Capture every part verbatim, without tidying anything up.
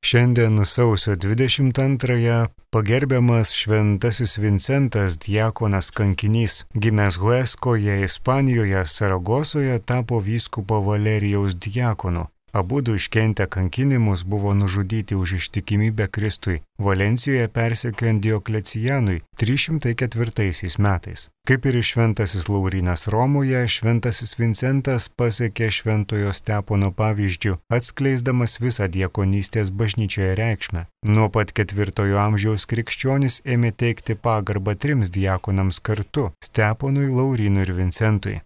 Šiandien sausio dvidešimt antrąją pagerbiamas šventasis Vincentas diakonas kankinys, gimęs Hueskoje, Ispanijoje, Saragosoje, tapo vyskupo Valerijaus diakonu. Abudu iškentę kankinimus buvo nužudyti už ištikimybę Kristui Valencijoje persekiojant Dioklecijanui trys šimtai ketvirtaisiais metais. Kaip ir šventasis Laurynas Romoje, šventasis Vincentas pasiekė šventojo Stepono pavyzdžių, atskleisdamas visą diakonystės bažnyčioje reikšmę. Nuo pat ketvirtojo amžiaus krikščionys ėmė teikti pagarbą trims diakonams kartu – Steponui, Laurynui ir Vincentui.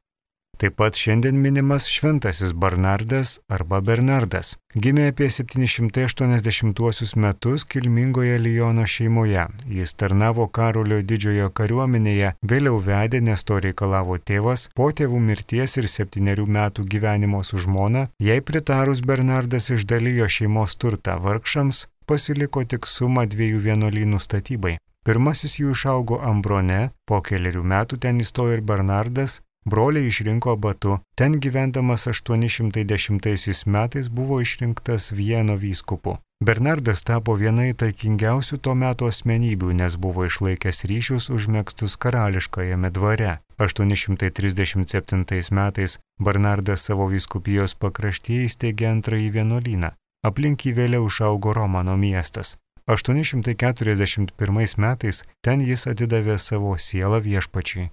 Taip pat šiandien minimas šventasis Bernardas arba Bernardas. Gimė apie septyni šimtai aštuoniasdešimtuosius metus kilmingoje Liono šeimoje. Jis tarnavo Karolio didžiojo kariuomenėje, vėliau vedė, nes to reikalavo tėvas, po tėvų mirties ir septynerių metų gyvenimo su žmona, jai pritarus Bernardas išdalijo šeimos turtą vargšams, pasiliko tik sumą dviejų vienuolynų statybai. Pirmasis jų išaugo Ambrone, po keliarių metų ten įstojo ir Bernardas, broliai išrinko abatu, ten gyvendamas aštuoni šimtai dešimtaisiais metais buvo išrinktas Vieno vyskupu. Bernardas tapo viena įtakingiausių to meto asmenybių, nes buvo išlaikęs ryšius užmegztus karališkajame dvare. aštuoni šimtai trisdešimt septintais metais Bernardas savo vyskupijos pakraštyje įsteigė antrąjį vienuolyną. Aplink jį vėliau išaugo Romano miestas. aštuoni šimtai keturiasdešimt pirmais metais ten jis atidavė savo sielą Viešpačiui.